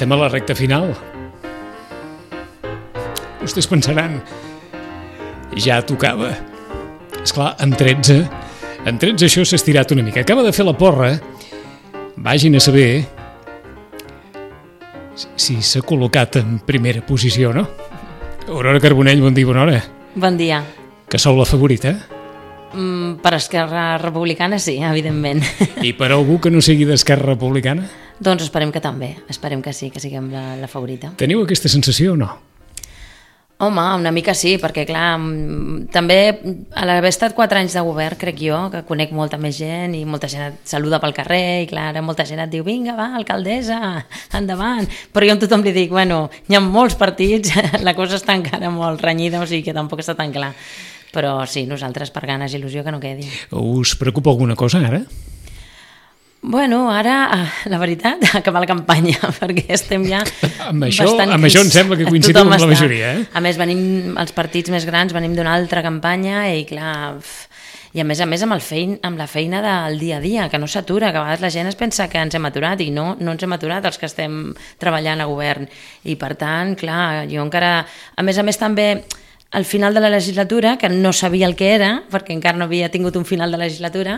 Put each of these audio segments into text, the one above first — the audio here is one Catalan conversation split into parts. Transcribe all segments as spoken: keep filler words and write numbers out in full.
Estem a la recta final. Vostès pensaran, ja tocava. Esclar, en tretze, en tretze això s'ha estirat una mica. Acaba de fer la porra, vagin a saber si s'ha col·locat en primera posició o no. Aurora Carbonell, bon dia, bona hora. Bon dia. Que sou la favorita? Mm, per Esquerra Republicana sí, evidentment. I per algú que no sigui d'Esquerra Republicana? Doncs esperem que també, esperem que sí, que siguem la, la favorita. Teniu aquesta sensació o no? Home, una mica sí, perquè clar, també a l'haver estat quatre anys de govern, crec jo, que conec molta més gent i molta gent et saluda pel carrer i clar, molta gent et diu, vinga, va, alcaldessa, endavant. Però jo a tothom li dic, bueno, hi ha molts partits, la cosa està encara molt renyida, o sigui que tampoc està tan clar. Però sí, nosaltres per ganes i il·lusió que no quedi. Us preocupa alguna cosa ara? Bueno, ara, la veritat, acabar la campanya, perquè estem ja amb això, bastant... Amb això em sembla que coincidim amb la majoria, eh? A més, venim, els partits més grans, venim d'una altra campanya i, clar, i a més a més amb, el fein, amb la feina del dia a dia, que no s'atura, que a vegades la gent es pensa que ens hem aturat i no, no ens hem aturat els que estem treballant a govern. I, per tant, clar, jo encara... A més a més, també... al final de la legislatura, que no sabia el que era, perquè encara no havia tingut un final de legislatura,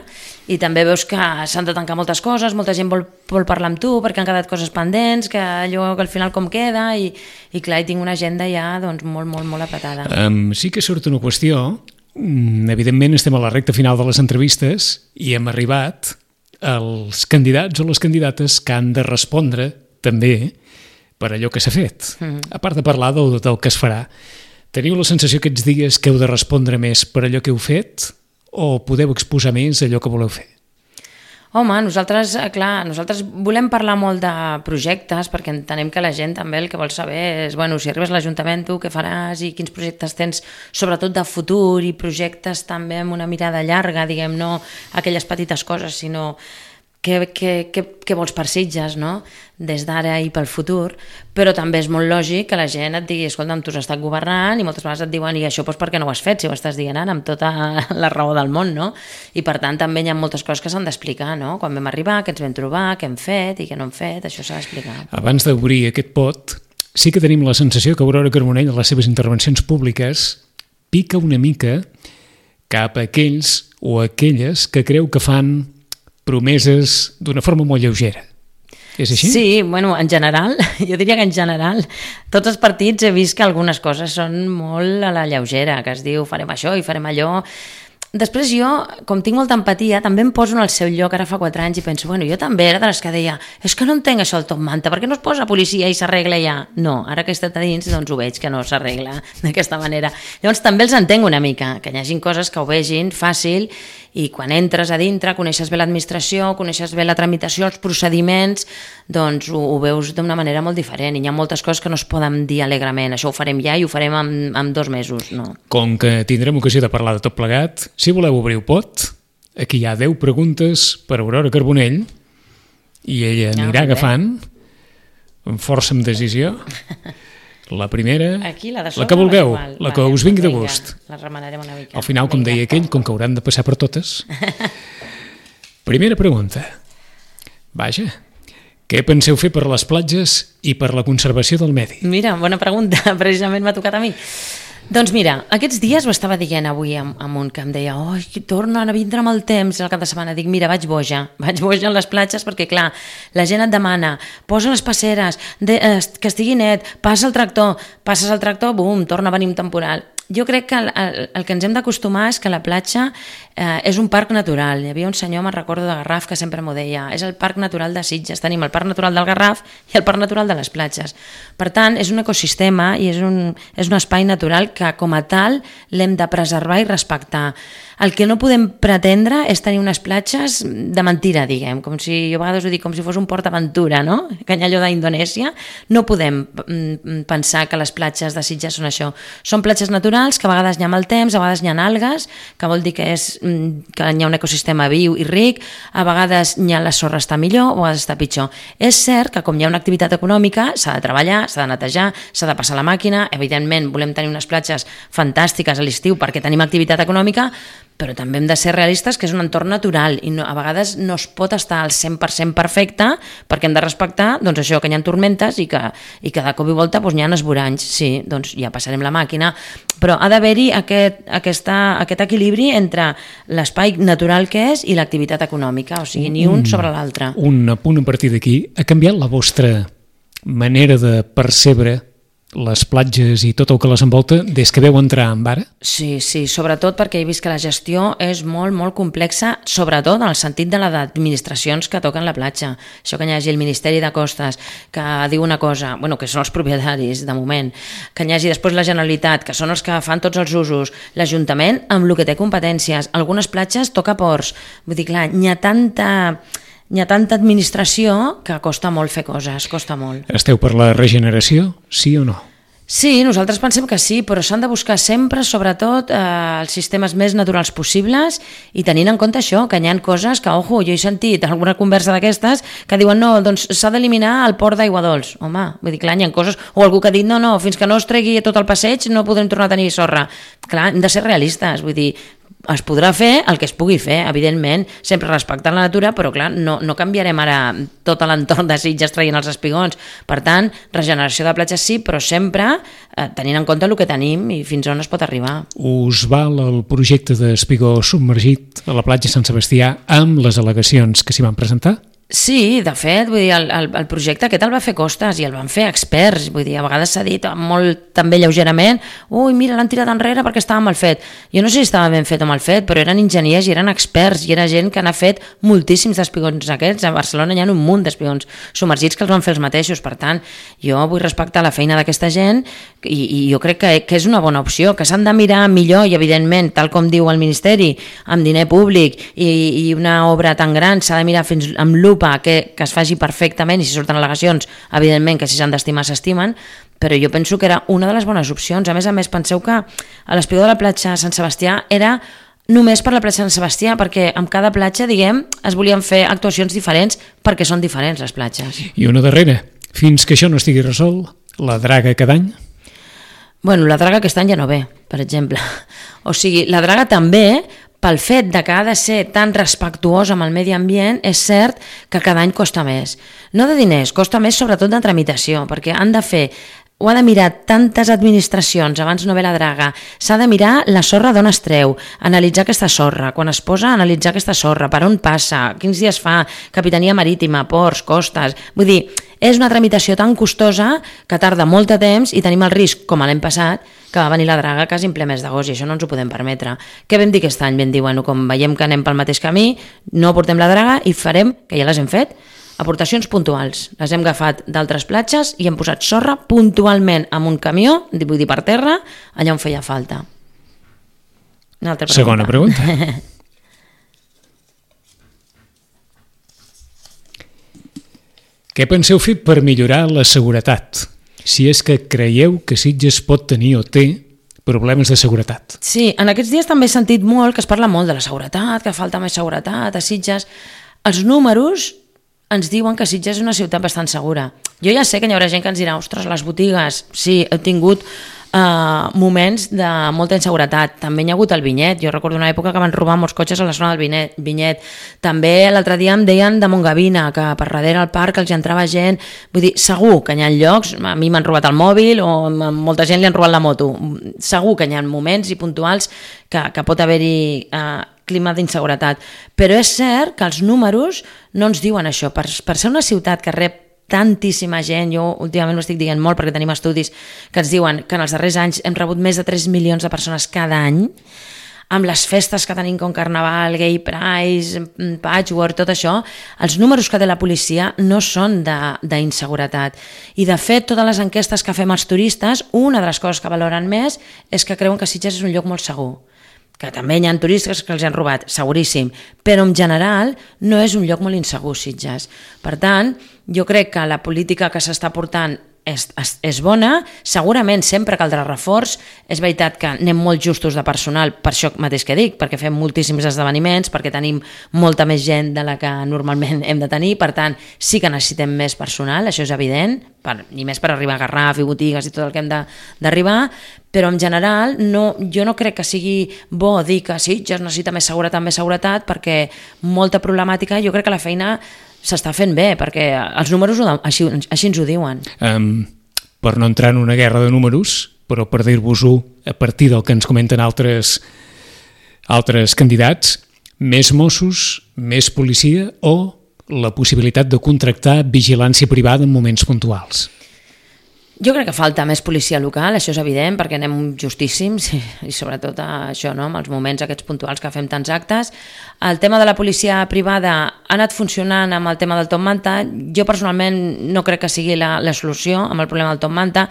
i també veus que s'han de tancar moltes coses, molta gent vol, vol parlar amb tu, perquè han quedat coses pendents, que allò que al final com queda, i, i clar, hi tinc una agenda ja doncs, molt, molt, molt apretada. Um, sí que surt una qüestió, evidentment estem a la recta final de les entrevistes i hem arribat als candidats o les candidates que han de respondre també per allò que s'ha fet, mm-hmm. a part de parlar del, del que es farà. Teniu la sensació aquests dies que heu de respondre més per allò que heu fet o podeu exposar més allò que voleu fer? Home, nosaltres, clar, nosaltres volem parlar molt de projectes perquè entenem que la gent també el que vol saber és, bueno, si arribes a l'Ajuntament tu què faràs i quins projectes tens, sobretot de futur i projectes també amb una mirada llarga, diguem, no aquelles petites coses, sinó què, què, què, què vols per Sitges, no? Des d'ara i pel futur, però també és molt lògic que la gent et digui, escolta'm, tu has estat governant i moltes vegades et diuen, i això doncs per què no ho has fet, si ho estàs dient ara, amb tota la raó del món, no? I per tant també hi ha moltes coses que s'han d'explicar, no? Quan vam arribar, què ens vam trobar, què hem fet i què no hem fet, això s'ha d'explicar. Abans d'obrir aquest pot, sí que tenim la sensació que Aurora Carbonell en les seves intervencions públiques pica una mica cap a aquells o aquelles que creu que fan promeses d'una forma molt lleugera. És així? Sí, bueno, en general, jo diria que en general, tots els partits he vist que algunes coses són molt a la lleugera, que es diu farem això i farem allò. Després jo, com tinc molta empatia, també em poso en el seu lloc ara fa quatre anys i penso, bueno, jo també era de les que deia, és que no entenc això el top manta, per què no es posa policia i s'arregla ja? No, ara que he estat a dins, doncs ho veig que no s'arregla d'aquesta manera. Llavors també els entenc una mica, que hi hagin coses que ho vegin fàcil i quan entres a dintre, coneixes bé l'administració, coneixes bé la tramitació, els procediments, doncs ho, ho veus d'una manera molt diferent i hi ha moltes coses que no es poden dir alegrement, això ho farem ja i ho farem en, en dos mesos, no. Com que tindrem ocasió de parlar de tot plegat, si voleu obrir el pot, aquí hi ha deu preguntes per Aurora Carbonell i ella anirà ah, agafant amb força, amb decisió. La primera, aquí, la, la que vulgueu, igual. La que vale, us vingui de gust. La remenarem una mica. Al final, com vinga. deia aquell, com que hauran de passar per totes. Primera pregunta. Vaja, què penseu fer per les platges i per la conservació del medi? Mira, bona pregunta, precisament m'ha tocat a mi. Doncs mira, aquests dies ho estava dient avui amb, amb un que em deia oi, tornen a vindre amb el temps el cap de setmana. Dic, mira, vaig boja, vaig boja en les platges perquè, clar, la gent et demana, posa les passeres, de, eh, que estigui net, passa el tractor, passes el tractor, bum, torna a venir un temporal. Jo crec que el, el, el que ens hem d'acostumar és que la platja eh, és un parc natural. Hi havia un senyor, me'n recordo, de Garraf, que sempre m'ho deia, és el parc natural de Sitges. Tenim el parc natural del Garraf i el parc natural de les platges. Per tant, és un ecosistema i és un, és un espai natural que, com a tal, l'hem de preservar i respectar. El que no podem pretendre és tenir unes platges de mentira, diguem, com si, jo a vegades ho dic, com si fos un Port Aventura, no? Canyalló d'Indonèsia. No podem pensar que les platges de Sitges són això. Són platges naturals que a vegades hi ha mal temps, a vegades hi ha algues, que vol dir que, és, que hi ha un ecosistema viu i ric, a vegades hi ha la sorra està millor o a vegades està pitjor. És cert que com hi ha una activitat econòmica, s'ha de treballar, s'ha de netejar, s'ha de passar la màquina, evidentment volem tenir unes platges fantàstiques a l'estiu perquè tenim activitat econòmica, però també hem de ser realistes que és un entorn natural i no, a vegades no es pot estar al cent per cent perfecte perquè hem de respectar doncs, això, que hi ha tormentes i que, i que de cop i volta doncs, hi ha esvoranys. Sí, doncs ja passarem la màquina, però ha d'haver-hi aquest, aquesta, aquest equilibri entre l'espai natural que és i l'activitat econòmica, o sigui, ni un sobre l'altre. Un apunt a partir d'aquí. Ha canviat la vostra manera de percebre les platges i tot el que les envolta des que veu entrar en Vara? Sí, sí, sobretot perquè he vist que la gestió és molt, molt complexa, sobretot en el sentit de les administracions que toquen la platja. Això que hi hagi el Ministeri de Costes, que diu una cosa, bueno, que són els propietaris, de moment, que hi hagi després la Generalitat, que són els que fan tots els usos, l'Ajuntament amb el que té competències. Algunes platges toca ports. Vull dir, clar, n'hi ha tanta... Hi ha tanta administració que costa molt fer coses, costa molt. Esteu per la regeneració, sí o no? Sí, nosaltres pensem que sí, però s'han de buscar sempre, sobretot, eh, els sistemes més naturals possibles i tenint en compte això, que hi ha coses que, ojo, jo he sentit alguna conversa d'aquestes que diuen no, doncs s'ha d'eliminar el port d'aigua dolç. Home, vull dir, clar, hi ha coses... O algú que ha dit no, no, fins que no es tregui tot el passeig no podrem tornar a tenir sorra. Clar, hem de ser realistes, vull dir, es podrà fer el que es pugui fer, evidentment, sempre respectant la natura, però clar, no, no canviarem ara tot l'entorn de Sitges traient els espigons. Per tant, regeneració de platges sí, però sempre eh, tenint en compte el que tenim i fins on es pot arribar. Us val el projecte d'espigó submergit a la platja Sant Sebastià amb les al·legacions que s'hi van presentar? Sí, de fet, vull dir, el, el, el projecte aquest el va fer Costes i el van fer experts, vull dir, a vegades s'ha dit molt també lleugerament, ui, mira, l'han tirat enrere perquè estava mal fet. Jo no sé si estava ben fet o mal fet, però eren enginyers i eren experts i era gent que n'ha fet moltíssims d'espigons aquests. A Barcelona hi ha un munt d'espigons submergits que els van fer els mateixos, per tant, jo vull respectar la feina d'aquesta gent i, i jo crec que, que és una bona opció, que s'han de mirar millor i, evidentment, tal com diu el Ministeri, amb diner públic i, i una obra tan gran s'ha de mirar fins amb l'u Que, que es faci perfectament i si surten al·legacions, evidentment que si s'han d'estimar s'estimen, però jo penso que era una de les bones opcions. A més a més, penseu que a l'espigó de la platja Sant Sebastià era només per la platja Sant Sebastià, perquè amb cada platja, diguem, es volien fer actuacions diferents perquè són diferents les platges. I una darrera, fins que això no estigui resolt, la draga cada any? Bueno, la draga aquest any ja no ve, per exemple. O sigui, la draga també... Pel fet de que ha de ser tan respectuós amb el medi ambient, és cert que cada any costa més. No de diners, costa més sobretot de tramitació, perquè han de fer, ho ha de mirar tantes administracions abans no ve la draga, s'ha de mirar la sorra d'on es treu, analitzar aquesta sorra, quan es posa analitzar aquesta sorra, per on passa, quins dies fa, capitania marítima, ports, costes... Vull dir, és una tramitació tan costosa que tarda molt de temps i tenim el risc, com l'any passat, que va venir la draga quasi en ple mes d'agost i això no ens ho podem permetre. Què vam dir aquest any? Vam dir, bueno, com veiem que anem pel mateix camí, no portem la draga i farem, que ja les hem fet, aportacions puntuals. Les hem agafat d'altres platges i hem posat sorra puntualment amb un camió, vull dir per terra, allà on feia falta. Una altra pregunta. Segona pregunta. Què penseu fer per millorar la seguretat? Si és que creieu que Sitges pot tenir o té problemes de seguretat. Sí, en aquests dies també he sentit molt que es parla molt de la seguretat, que falta més seguretat a Sitges. Els números ens diuen que Sitges és una ciutat bastant segura. Jo ja sé que hi haurà gent que ens dirà, ostres, les botigues, sí, he tingut Uh, moments de molta inseguretat. També hi ha hagut el Vinyet. Jo recordo una època que van robar molts cotxes a la zona del Vinyet. Vinyet. També l'altre dia em deien de Montgavina, que per darrere al parc els hi entrava gent. Vull dir, segur que hi ha llocs, a mi m'han robat el mòbil o a molta gent li han robat la moto. Segur que hi ha moments i puntuals que, que pot haver-hi uh, clima d'inseguretat. Però és cert que els números no ens diuen això. Per, per ser una ciutat que rep tantíssima gent, jo últimament ho estic dient molt perquè tenim estudis que ens diuen que en els darrers anys hem rebut més de tres milions de persones cada any, amb les festes que tenim com Carnaval, Gay Pride, Patchwork, tot això, els números que té la policia no són d'inseguretat. I de fet, totes les enquestes que fem als turistes, una de les coses que valoren més és que creuen que Sitges és un lloc molt segur. Que també hi ha turistes que els han robat, seguríssim, però en general no és un lloc molt insegur, Sitges. Per tant, jo crec que la política que s'està portant és, és, és bona, segurament sempre caldrà reforç, és veritat que anem molt justos de personal, per això mateix que dic, perquè fem moltíssims esdeveniments, perquè tenim molta més gent de la que normalment hem de tenir, per tant, sí que necessitem més personal, això és evident, per, i més per arribar a Garraf i botigues i tot el que hem d'arribar, però en general no, jo no crec que sigui bo dir que sí, ja es necessita més seguretat, més seguretat, perquè molta problemàtica, jo crec que la feina s'està fent bé, perquè els números ho, així, així ens ho diuen. Um, per no entrar en una guerra de números, però per dir-vos-ho a partir del que ens comenten altres, altres candidats, més Mossos, més policia o la possibilitat de contractar vigilància privada en moments puntuals? Jo crec que falta més policia local, això és evident, perquè anem justíssims i, i sobretot això, no? Amb els moments aquests puntuals que fem tants actes. El tema de la policia privada ha anat funcionant amb el tema del top manta. Jo personalment no crec que sigui la, la solució amb el problema del top manta.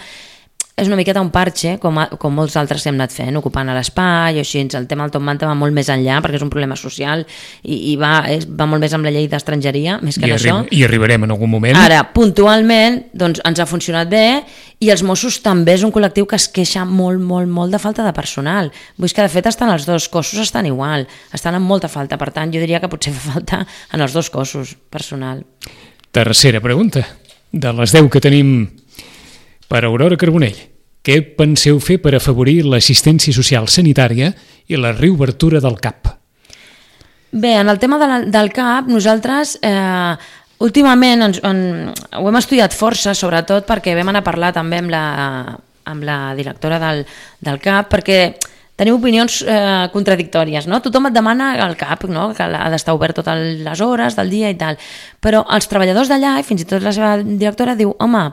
És una miqueta un parche, com, a, com molts altres que hem anat fent, ocupant l'espai, així, el tema del top manta va molt més enllà, perquè és un problema social i, i va, és, va molt més amb la llei d'estrangeria, més que I, en arri això. I arribarem en algun moment. Ara, puntualment, doncs, ens ha funcionat bé i els Mossos també és un col·lectiu que es queixa molt, molt, molt de falta de personal. Vull dir que, de fet, estan els dos cossos, estan igual, estan amb molta falta, per tant, jo diria que potser fa falta en els dos cossos personal. Tercera pregunta, de les deu que tenim per Aurora Carbonell. Què penseu fer per afavorir l'assistència social sanitària i la reobertura del C A P? Bé, en el tema de la, del C A P, nosaltres eh, últimament ens, en, ho hem estudiat força, sobretot perquè vam anar a parlar també amb la, amb la directora del, del C A P, perquè tenim opinions eh, contradictòries, no? Tothom et demana el C A P, no? Que ha d'estar obert totes les hores del dia i tal, però els treballadors d'allà, i fins i tot la seva directora, diu, home,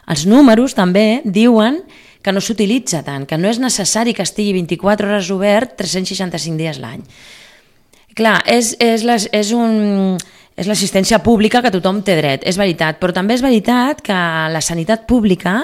els números també diuen que no s'utilitza tant, que no és necessari que estigui vint-i-quatre hores obert tres-cents seixanta-cinc dies l'any. Clar, és, és, les, és, un, és l'assistència pública que tothom té dret, és veritat, però també és veritat que la sanitat pública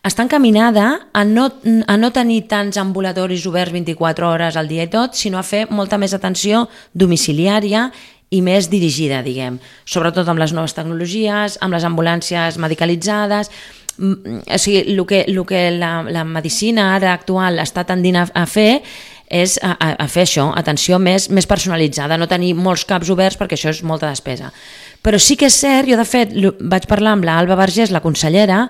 està encaminada a no, a no tenir tants ambulatoris oberts vint-i-quatre hores al dia i tot, sinó a fer molta més atenció domiciliària i més dirigida, diguem, sobretot amb les noves tecnologies, amb les ambulàncies medicalitzades. O sigui, el que, el que la, la medicina ara actual està tendint a, a fer és a, a fer això, atenció més, més personalitzada, no tenir molts caps oberts perquè això és molta despesa. Però sí que és cert, jo de fet vaig parlar amb l'Alba Vergés, la consellera,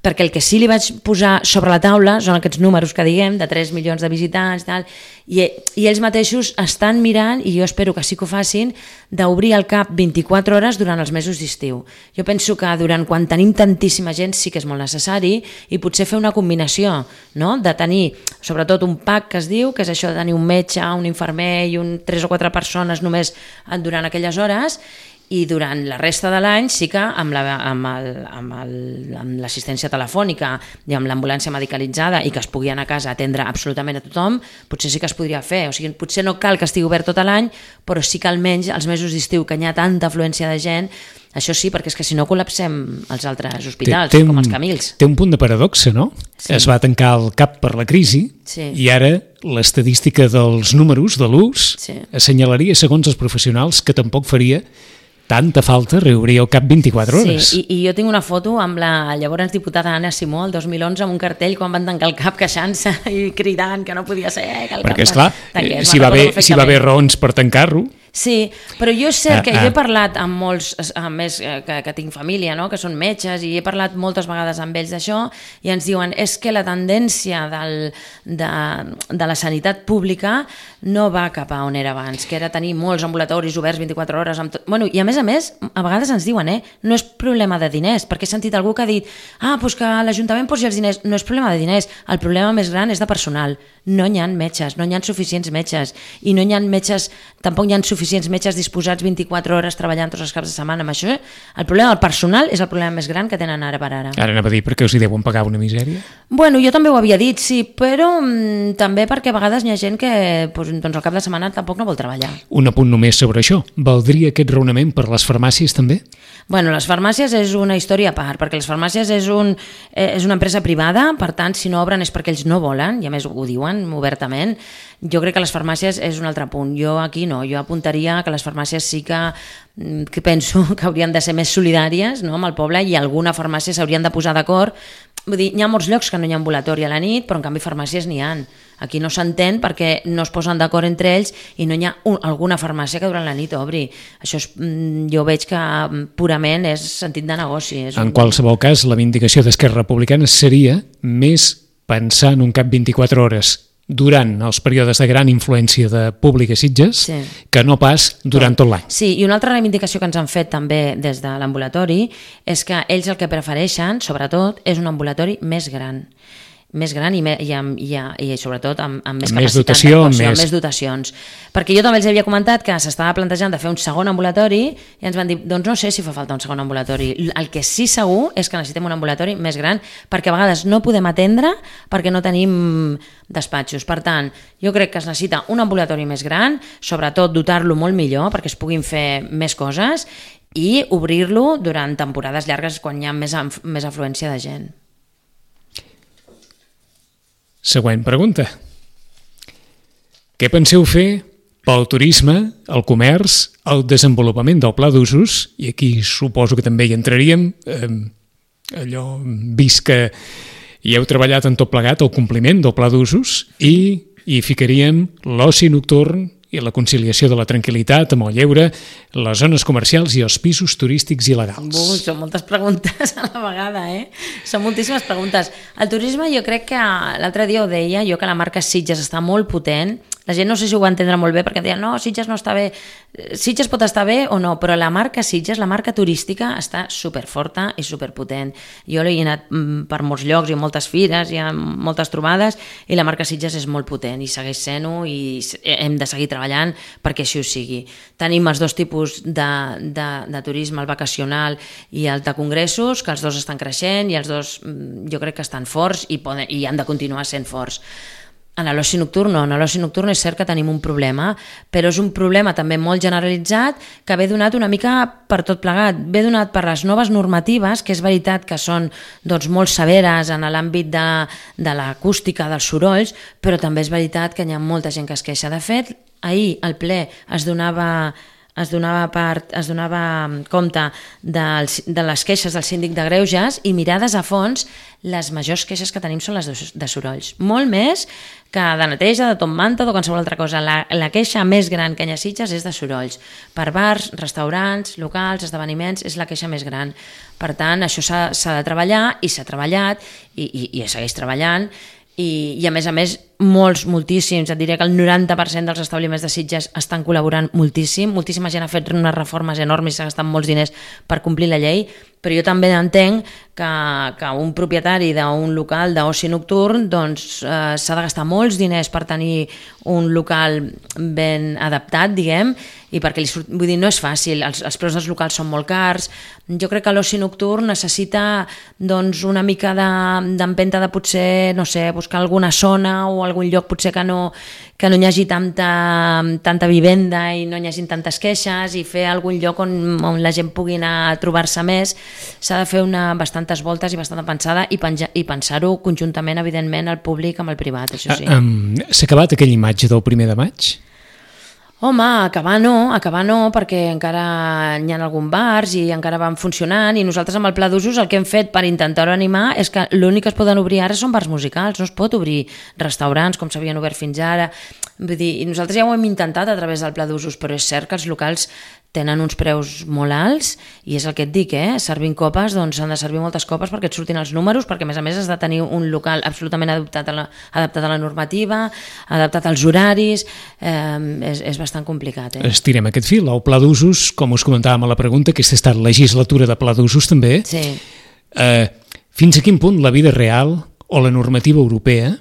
perquè el que sí li vaig posar sobre la taula són aquests números que diguem, de tres milions de visitants, tal, i, i ells mateixos estan mirant, i jo espero que sí que ho facin, d'obrir el C A P vint-i-quatre hores durant els mesos d'estiu. Jo penso que durant quan tenim tantíssima gent sí que és molt necessari, i potser fer una combinació, no? De tenir, sobretot un pack que es diu, que és això de tenir un metge, un infermer i un, tres o quatre persones només durant aquelles hores, i durant la resta de l'any sí que amb la, amb el, amb el, amb l'assistència telefònica i amb l'ambulància medicalitzada i que es pugui anar a casa a atendre absolutament a tothom, potser sí que es podria fer. O sigui, potser no cal que estigui obert tot l'any, però sí que almenys els mesos d'estiu que hi ha tanta afluència de gent, això sí, perquè és que si no col·lapsem els altres hospitals, té, té com els Camils. Té un punt de paradoxa, no? Sí. Es va tancar el C A P per la crisi, sí, i ara l'estadística dels números de l'ús, sí, assenyalaria, segons els professionals, que tampoc faria tanta falta reobrir el C A P vint-i-quatre hores. Sí, i, i jo tinc una foto amb la llavors diputada Anna Simó el dos mil onze amb un cartell quan van tancar el C A P queixant-se i cridant que no podia ser que el perquè, C A P esclar, tanqués. Si va haver, si va haver raons per tancar-lo. Sí, però jo és cert que ah, ah. jo he parlat amb molts, a més que, que tinc família, no? Que són metges, i he parlat moltes vegades amb ells d'això, i ens diuen és que la tendència del, de, de la sanitat pública no va cap a on era abans, que era tenir molts ambulatoris oberts vint-i-quatre hores. Amb tot. Bueno, i a més a més, a vegades ens diuen, eh, no és problema de diners, perquè he sentit algú que ha dit ah, doncs que l'Ajuntament posi els diners. No és problema de diners, el problema més gran és de personal. No hi ha metges, no hi ha suficients metges, i no hi ha metges, tampoc hi ha suficients metges disposats vint-i-quatre hores treballant tots els caps de setmana. Amb això, el problema del personal és el problema més gran que tenen ara per ara. Ara anava a dir, perquè us hi deuen pagar una misèria? Bueno, jo també ho havia dit, sí, però mm, també perquè a vegades hi ha gent que doncs, doncs al cap de setmana tampoc no vol treballar. Un apunt només sobre això. Valdria aquest raonament per les farmàcies també? Bueno, les farmàcies és una història a part, perquè les farmàcies és, un, és una empresa privada, per tant, si no obren és perquè ells no volen, i a més ho diuen obertament. Jo crec que les farmàcies és un altre punt. Jo aquí no, jo apuntaria que les farmàcies sí que, que penso que haurien de ser més solidàries, no?, amb el poble, i alguna farmàcia s'haurien de posar d'acord. Vull dir, hi ha molts llocs que no hi ha ambulatori a la nit, però en canvi farmàcies n'hi ha. Aquí no s'entén perquè no es posen d'acord entre ells i no hi ha un, alguna farmàcia que durant la nit obri. Això és, jo veig que purament és sentit de negoci. És en un... qualsevol cas, la vindicació d'Esquerra Republicana seria més pensar en un cap vint-i-quatre hores durant els períodes de gran influència de públic a Sitges, sí, que no pas durant tot l'any. Sí, i una altra reivindicació que ens han fet també des de l'ambulatori és que ells el que prefereixen, sobretot, és un ambulatori més gran. més gran i, me, i, amb, i, i sobretot amb, amb més amb capacitat dotació, d'actuació, més... amb més dotacions. Perquè jo també els havia comentat que s'estava plantejant de fer un segon ambulatori i ens van dir, doncs no sé si fa falta un segon ambulatori. El que sí segur és que necessitem un ambulatori més gran perquè a vegades no podem atendre perquè no tenim despatxos. Per tant, jo crec que es necessita un ambulatori més gran, sobretot dotar-lo molt millor perquè es puguin fer més coses i obrir-lo durant temporades llargues quan hi ha més, més afluència de gent. Següent pregunta. Què penseu fer pel turisme, el comerç, el desenvolupament del pla d'usos, i aquí suposo que també hi entraríem, eh, allò, vist que hi heu treballat en tot plegat, el compliment del pla d'usos, i hi ficaríem l'oci nocturn i la conciliació de la tranquil·litat amb el lleure, les zones comercials i els pisos turístics il·legals. Ui, són moltes preguntes a la vegada, eh? Són moltíssimes preguntes. El turisme, jo crec que l'altre dia ho deia, jo que la marca Sitges està molt potent. La gent no sé si ho va entendre molt bé perquè deia, no, Sitges no està bé. Sitges pot estar bé o no, però la marca Sitges, la marca turística, està superforta i superpotent. Jo he anat per molts llocs i moltes fires i moltes trobades i la marca Sitges és molt potent i segueix sent-ho i hem de seguir treballant perquè així ho sigui. Tenim els dos tipus de, de, de turisme, el vacacional i el de congressos, que els dos estan creixent i els dos jo crec que estan forts i, poden, i han de continuar sent forts. En l'oci nocturn no, en l'oci nocturn és cert que tenim un problema, però és un problema també molt generalitzat que ve donat una mica per tot plegat, ve donat per les noves normatives, que és veritat que són doncs, molt severes en l'àmbit de, de l'acústica, dels sorolls, però també és veritat que hi ha molta gent que es queixa. De fet, ahir al ple es donava... es donava, part, es donava compte de, de les queixes del síndic de Greuges i mirades a fons, les majors queixes que tenim són les de, de sorolls. Molt més que de neteja, de top manta o de qualsevol altra cosa. La, la queixa més gran que hi ha a Sitges és de sorolls. Per bars, restaurants, locals, esdeveniments, és la queixa més gran. Per tant, això s'ha de treballar i s'ha treballat i, i, i es segueix treballant. I, i a més a més molts, moltíssims, et diré que el noranta per cent dels establiments de Sitges estan col·laborant moltíssim, moltíssima gent ha fet unes reformes enormes i s'ha gastat molts diners per complir la llei, però jo també entenc que, que un propietari d'un local d'oci nocturn doncs, eh, s'ha de gastar molts diners per tenir un local ben adaptat, diguem, i perquè li surt, vull dir, no és fàcil, els, els preus dels locals són molt cars. Jo crec que l'oci nocturn necessita doncs, una mica d'empenta de, de potser, no sé, buscar alguna zona o algun lloc potser que no, que no hi hagi tanta, tanta vivenda i no hi hagi tantes queixes i fer algun lloc on, on la gent pugui anar a trobar-se més. S'ha de fer una, bastantes voltes i bastanta pensada i, penja, i pensar-ho conjuntament, evidentment, el públic amb el privat, això sí. Um, S'ha acabat aquella imatge del primer de maig? Home, acabar no, acabar no, perquè encara hi ha algun bars i encara van funcionant i nosaltres amb el pla d'usos el que hem fet per intentar-ho animar és que l'únic que es poden obrir ara són bars musicals, no es pot obrir restaurants com s'havien obert fins ara. Vull dir, i nosaltres ja ho hem intentat a través del pla d'usos, però és cert que els locals tenen uns preus molt alts i és el que et dic, eh? Servint copes, doncs s'han de servir moltes copes perquè et surtin els números, perquè a més a més has de tenir un local absolutament adaptat a la, adaptat a la normativa, adaptat als horaris, eh, és, és bastant complicat. Eh? Estirem aquest fil. El pla d'usos, com us comentàvem a la pregunta, aquesta ha estat legislatura de pla d'usos també. Sí. Eh, fins a quin punt la vida real o la normativa europea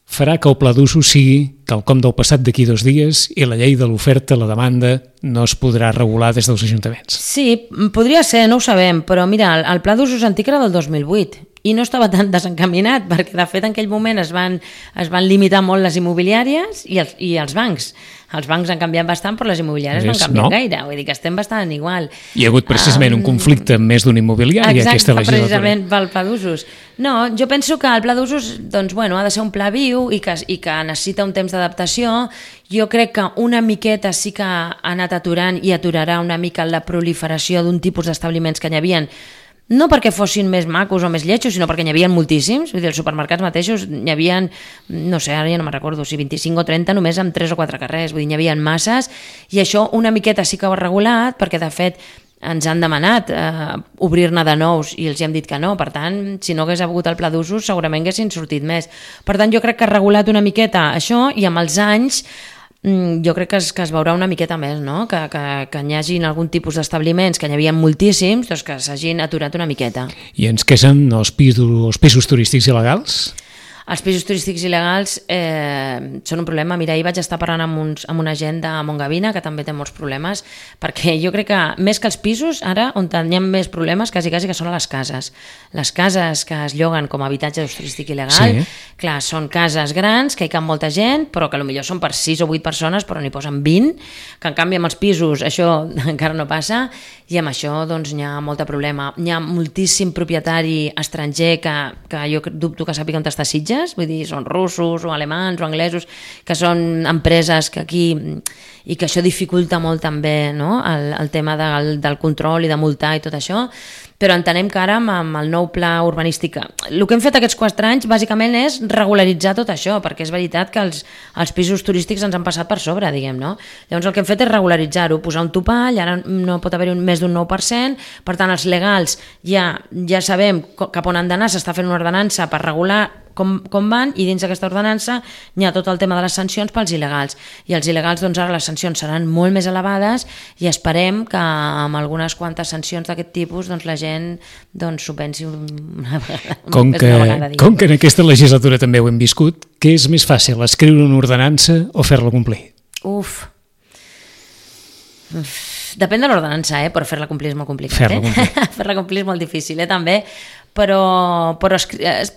farà que el pla d'usos sigui quelcom del passat d'aquí dos dies i la llei de l'oferta, la demanda, no es podrà regular des dels ajuntaments. Sí, podria ser, no ho sabem, però mira, el, el pla d'usos antic era del dos mil vuit i no estava tan desencaminat perquè de fet en aquell moment es van, es van limitar molt les immobiliàries i els, i els bancs. Els bancs han canviat bastant, però les immobiliàries no han canviat no? gaire. Vull dir que estem bastant igual. Hi ha hagut precisament um, un conflicte amb més d'un immobiliari exacte, aquesta legislatura. Precisament pel pla d'usos. No, jo penso que el pla d'usos doncs, bueno, ha de ser un pla viu i que, i que necessita un temps d'adaptació. Jo crec que una miqueta sí que ha anat aturant i aturarà una mica la proliferació d'un tipus d'establiments que n'hi havia, no perquè fossin més macos o més lletjos, sinó perquè n'hi havia moltíssims. Vull dir, els supermercats mateixos n'hi havia, no sé, ara ja no me'n recordo, si vint-i-cinc o trenta només amb tres o quatre carrers. Vull dir, n'hi havia masses i això una miqueta sí que ho ha regulat perquè, de fet, ens han demanat eh, obrir-ne de nous i els hi hem dit que no. Per tant, si no hagués hagut el pla d'usos, segurament haguessin sortit més. Per tant, jo crec que ha regulat una miqueta això i amb els anys jo crec que es, que es veurà una miqueta més, no? que, que, que hi hagin algun tipus d'establiments, que n'hi havia moltíssims, doncs que s'hagin aturat una miqueta. I ens queixen els pisos, els pisos turístics il·legals? Els pisos turístics il·legals eh, són un problema. Mira, ahir vaig estar parlant amb, uns, amb una gent de Montgavina que també té molts problemes, perquè jo crec que més que els pisos, ara on hi ha més problemes quasi, quasi que són a les cases. Les cases que es lloguen com a habitatge d'ús turístic il·legal, sí. Clar, són cases grans, que hi cap molta gent, però que potser són per sis o vuit persones, però n'hi posen vint, que en canvi amb els pisos això encara no passa, i amb això doncs n'hi ha molt de problema. Hi ha moltíssim propietari estranger que, que jo dubto que sàpiga on està Sitges, vull dir, són russos o alemans o anglesos, que són empreses que aquí, i que això dificulta molt també, no? el, el tema del, del control i de multar i tot això, però entenem que ara amb el nou pla urbanístic, el que hem fet aquests quatre anys bàsicament és regularitzar tot això, perquè és veritat que els, els pisos turístics ens han passat per sobre, diguem, no? Llavors el que hem fet és regularitzar-ho, posar un topall, ara no pot haver-hi més d'un nou per cent, per tant els legals ja, ja sabem cap on han d'anar, s'està fent una ordenança per regular Com, com van, i dins d'aquesta ordenança hi ha tot el tema de les sancions pels il·legals, i els il·legals doncs ara les sancions seran molt més elevades i esperem que amb algunes quantes sancions d'aquest tipus doncs la gent doncs s'ho pensi una vegada, com que, una vegada com que en aquesta legislatura també ho hem viscut, què és més fàcil, escriure una ordenança o fer-la complir? Uf depèn de l'ordenança, eh? Però fer-la complir és molt complicat, fer-la complir. eh? fer-la complir és molt difícil, eh? També, però, però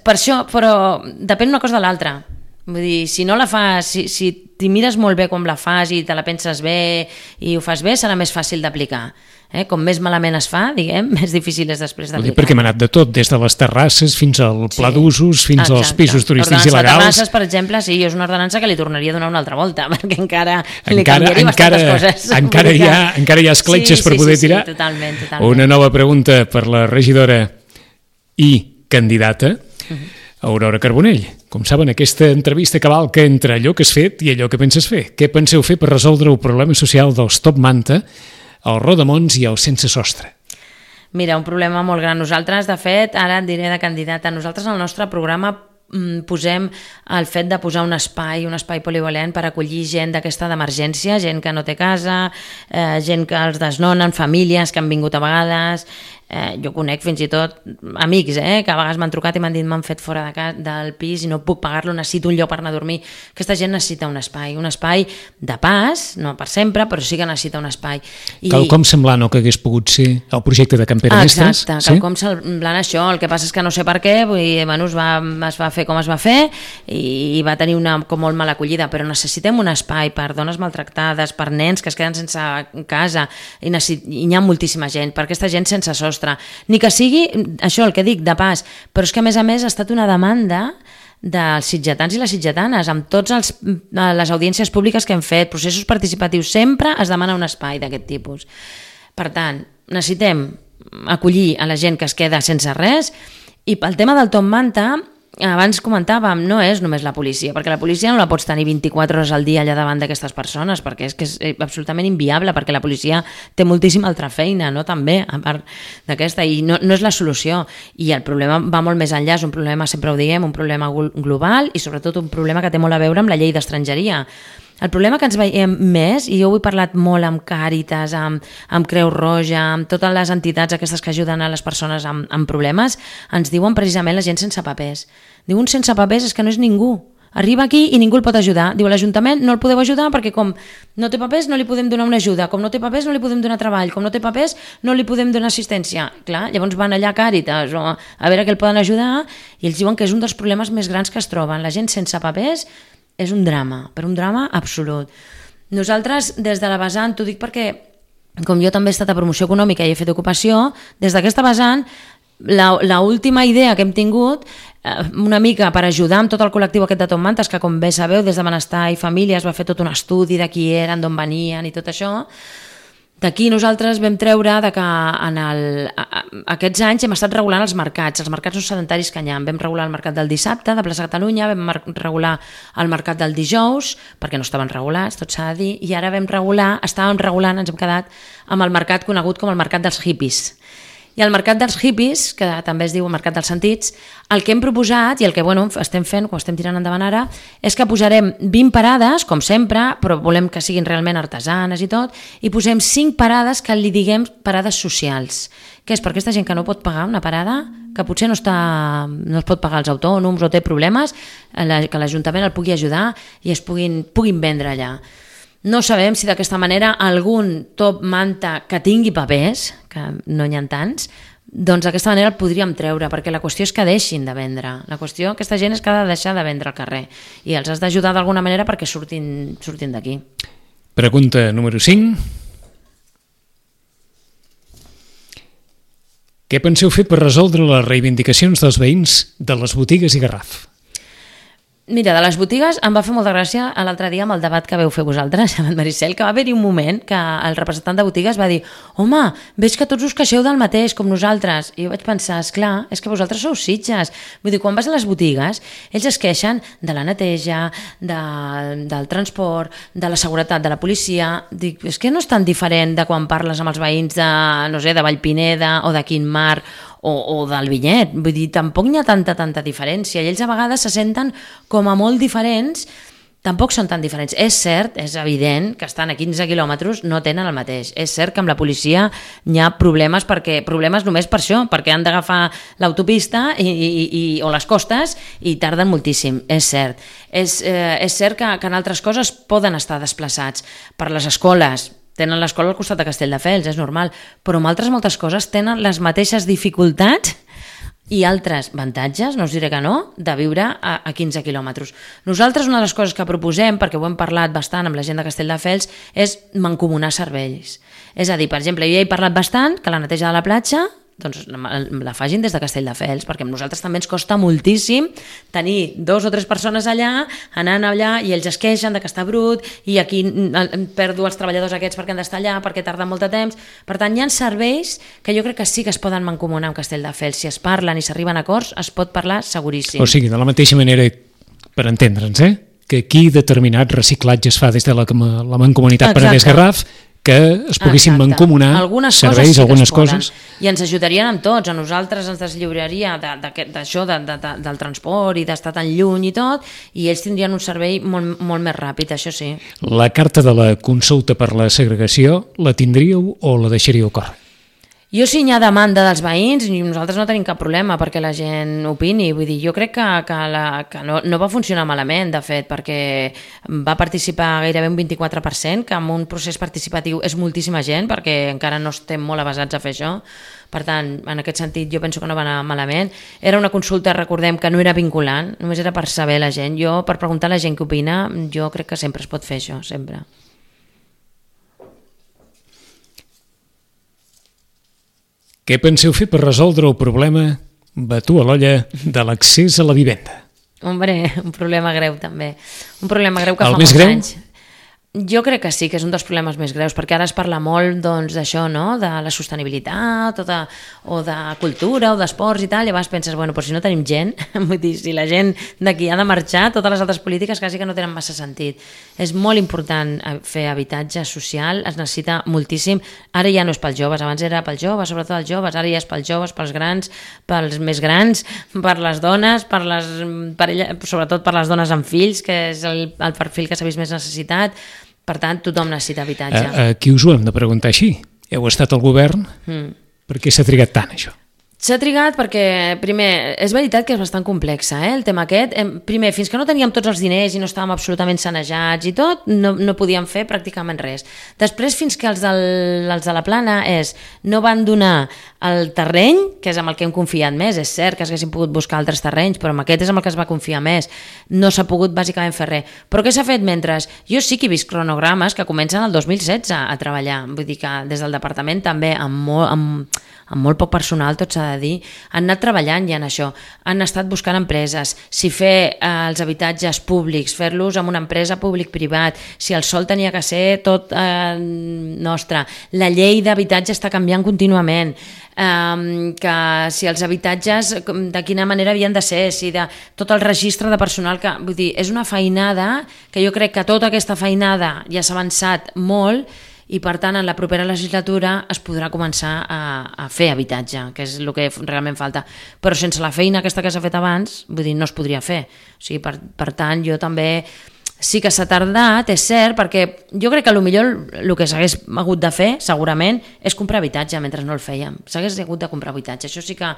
per això, però depèn una cosa de l'altra. Vull dir, si no la fas, si, si t'hi mires molt bé com la fas i te la penses bé i ho fas bé, serà més fàcil d'aplicar. Eh? Com més malament es fa, diguem, més difícil és després d'aplicar. Perquè hem anat de tot, des de les terrasses fins al pla sí. d'usos, fins Exacte. als pisos turístics il·legals. Ordenança de terrasses, per exemple, sí, és una ordenança que li tornaria a donar una altra volta, perquè encara, encara li canviaria encara, bastantes coses. Encara hi ha, encara hi ha escletxes sí, per sí, poder sí, tirar. Sí, totalment, totalment. Una nova pregunta per la regidora i candidata, uh-huh. Aurora Carbonell. Com saben, aquesta entrevista cavalca entre allò que has fet i allò que penses fer. Què penseu fer per resoldre el problema social dels Top Manta, el Rodamons i el Sense Sostre? Mira, un problema molt gran. Nosaltres, de fet, ara et diré de candidata, nosaltres al nostre programa posem el fet de posar un espai, un espai polivalent per acollir gent d'aquesta d'emergència, gent que no té casa, eh, gent que els desnonen, famílies que han vingut a vegades. Eh, jo conec fins i tot amics eh, que a vegades m'han trucat i m'han dit m'han fet fora de casa, del pis i no puc pagar-lo, necessito un lloc per anar a dormir. Aquesta gent necessita un espai, un espai de pas, no per sempre, però sí que necessita un espai. I... Quelcom semblant o que hagués pogut ser el projecte de Can Pere Mestres? Exacte, sí? Quelcom semblant això, el que passa és que no sé per què, vull dir, bueno, es, va, es va fer com es va fer i va tenir una com molt mala acollida, però necessitem un espai per dones maltractades, per nens que es queden sense casa, i, necessit... i hi ha moltíssima gent, per aquesta gent sense sostre, ni que sigui això el que dic de pas, però és que a més a més ha estat una demanda dels sitgetans i les sitgetanes amb totes les audiències públiques que hem fet, processos participatius, sempre es demana un espai d'aquest tipus. Per tant, necessitem acollir a la gent que es queda sense res, i pel tema del Top Manta, abans comentàvem, no és només la policia, perquè la policia no la pots tenir vint-i-quatre hores al dia allà davant d'aquestes persones, perquè és que és absolutament inviable, perquè la policia té moltíssima altra feina, no? També, a part d'aquesta, i no, no és la solució. I el problema va molt més enllà, és un problema, sempre ho diem, un problema global i sobretot un problema que té molt a veure amb la llei d'estrangeria. El problema que ens veiem més, i jo ho he parlat molt amb Càritas, amb, amb Creu Roja, amb totes les entitats aquestes que ajuden a les persones amb, amb problemes, ens diuen precisament la gent sense papers. Diuen sense papers és que no és ningú. arriba aquí i ningú el pot ajudar. Diu, l'Ajuntament no el podeu ajudar perquè com no té papers no li podem donar una ajuda, com no té papers no li podem donar treball, com no té papers no li podem donar assistència. Clar, llavors van allà a Càritas o a veure què el poden ajudar i ells diuen que és un dels problemes més grans que es troben. La gent sense papers és un drama, però un drama absolut. Nosaltres, des de la vessant, t'ho dic perquè com jo també he estat a promoció econòmica i he fet ocupació, des d'aquesta vessant, l'última idea que hem tingut, una mica per ajudar amb tot el col·lectiu aquest de Top Mantes, que com bé sabeu, des de Benestar i Família es va fer tot un estudi de qui eren, d'on venien i tot això. D'aquí nosaltres vam treure de que en el, aquests anys hem estat regulant els mercats, els mercats no sedentaris que hi ha. Vam regular el mercat del dissabte de Plaça Catalunya, vam regular el mercat del dijous, perquè no estaven regulats, tot s'ha de dir, i ara vam regular, estàvem regulant, ens hem quedat amb el mercat conegut com el mercat dels hippies. I el mercat dels hippies, que també es diu el mercat dels sentits, el que hem proposat i el que bueno, estem fent, quan estem tirant endavant ara, és que posarem vint parades, com sempre, però volem que siguin realment artesanes i tot, i posem cinc parades que li diguem parades socials, que és per aquesta gent que no pot pagar una parada, que potser no, està, no es pot pagar els autònoms o té problemes, que l'Ajuntament el pugui ajudar i es puguin, puguin vendre allà. No sabem si d'aquesta manera algun top manta que tingui papers, que no n'hi ha tants, doncs d'aquesta manera el podríem treure, perquè la qüestió és que deixin de vendre. La qüestió, aquesta gent és que ha de deixar de vendre al carrer i els has d'ajudar d'alguna manera perquè surtin, surtin d'aquí. Pregunta número cinc. Què penseu fer per resoldre les reivindicacions dels veïns de les botigues i Garraf? Mira, de les botigues em va fer molta gràcia l'altre dia amb el debat que veu fer vosaltres, amb Maricel, que va haver-hi un moment que el representant de botigues va dir home, veig que tots us queixeu del mateix, com nosaltres. I jo vaig pensar, esclar, és que vosaltres sou Sitges. Vull dir, quan vas a les botigues, ells es queixen de la neteja, de, del transport, de la seguretat, de la policia. Dic, és que no és tan diferent de quan parles amb els veïns de, no sé, de Vallpineda o de Quintmar o, o del Vinyet, vull dir, tampoc n'hi ha tanta, tanta diferència, i ells a vegades se senten com a molt diferents, tampoc són tan diferents. És cert, és evident que estan a quinze quilòmetres, no tenen el mateix. És cert que amb la policia n'hi ha problemes, perquè problemes només per això, perquè han d'agafar l'autopista i, i, i, o les costes i tarden moltíssim, és cert. És, eh, és cert que, que en altres coses poden estar desplaçats per les escoles, tenen l'escola al costat de Castelldefels, és normal, però en altres moltes coses tenen les mateixes dificultats i altres avantatges, no us diré que no, de viure a, a quinze quilòmetres. Nosaltres una de les coses que proposem, perquè ho hem parlat bastant amb la gent de Castelldefels, és mancomunar serveis. És a dir, per exemple, jo ja he parlat bastant que la neteja de la platja doncs la facin des de Castelldefels, perquè a nosaltres també ens costa moltíssim tenir dos o tres persones allà, anant allà, i ells es queixen de que està brut, i aquí perdo els treballadors aquests perquè han d'estar allà, perquè tarda molt de temps. Per tant, hi ha serveis que jo crec que sí que es poden mancomunar amb Castelldefels. Si es parlen i s'arriben a acords, es pot parlar seguríssim. O sigui, de la mateixa manera, per entendre'ns, eh? que aquí determinat reciclatge es fa des de la, la Mancomunitat Penedès Garraf, que es poguessin Exacte. mancomunar algunes serveis, coses sí algunes coses. I ens ajudarien amb tots, a nosaltres ens deslliuraria d'això, de, de, de, del transport i d'estar tan lluny i tot, i ells tindrien un servei molt, molt més ràpid, això sí. La carta de la consulta per la segregació, la tindríeu o la deixaríeu córrer? Jo si hi ha demanda dels veïns, nosaltres no tenim cap problema perquè la gent opini, vull dir, jo crec que, que, la, que no, no va funcionar malament, de fet, perquè va participar gairebé un vint-i-quatre per cent, que en un procés participatiu és moltíssima gent, perquè encara no estem molt avasats a fer això. Per tant, en aquest sentit, jo penso que no va anar malament. Era una consulta, recordem, que no era vinculant, només era per saber la gent. Jo, per preguntar a la gent què opina, jo crec que sempre es pot fer això, sempre. Què penseu fer per resoldre el problema, batu a l'olla, de l'accés a la vivenda? Hombre, un problema greu també. Un problema greu que el fa molts greu? anys. Jo crec que sí, que és un dels problemes més greus, perquè ara es parla molt doncs, d'això, no? De la sostenibilitat, o de, o de cultura, o d'esports i tal, i llavors penses, bueno, però si no tenim gent, vull dir, si la gent d'aquí ha de marxar, totes les altres polítiques quasi que no tenen massa sentit. És molt important fer habitatge social, es necessita moltíssim, ara ja no és pels joves, abans era pels joves, sobretot els joves, ara ja és pels joves, pels grans, pels més grans, per les dones, per les, per ella, sobretot per les dones amb fills, que és el, el perfil que s'ha vist més necessitat. Per tant, tothom necessita habitatge. A, aquí us ho hem de preguntar així. Heu estat al govern? Mm. Per què s'ha trigat tant, això? S'ha trigat perquè, primer, és veritat que és bastant complexa, eh, el tema aquest. Primer, fins que no teníem tots els diners i no estàvem absolutament sanejats i tot, no, no podíem fer pràcticament res. Després, fins que els, del, els de la Plana és, no van donar el terreny, que és amb el que hem confiat més, és cert que haguéssim pogut buscar altres terrenys, però amb aquest és amb el que es va confiar més, no s'ha pogut bàsicament fer res. Però què s'ha fet mentre? Jo sí que he vist cronogrames que comencen el dos mil setze a treballar, vull dir que des del departament també, amb molt, amb, amb molt poc personal, tot s'ha de dir, han anat treballant ja en això, han estat buscant empreses, si fer eh, els habitatges públics, fer-los amb una empresa públic-privat, si el sòl tenia que ser tot eh, nostre, la llei d'habitatge està canviant contínuament, eh, que si els habitatges de quina manera havien de ser, si de tot el registre de personal, que vull dir, és una feinada que jo crec que tota aquesta feinada ja s'ha avançat molt i per tant en la propera legislatura es podrà començar a, a fer habitatge, que és el que realment falta, però sense la feina aquesta que s'ha fet abans, vull dir, no es podria fer. O sigui, per, per tant, jo també sí que s'ha tardat, és cert, perquè jo crec que potser el que s'hagués hagut de fer, segurament, és comprar habitatge mentre no el fèiem. S'hagués hagut de comprar habitatge. Això sí que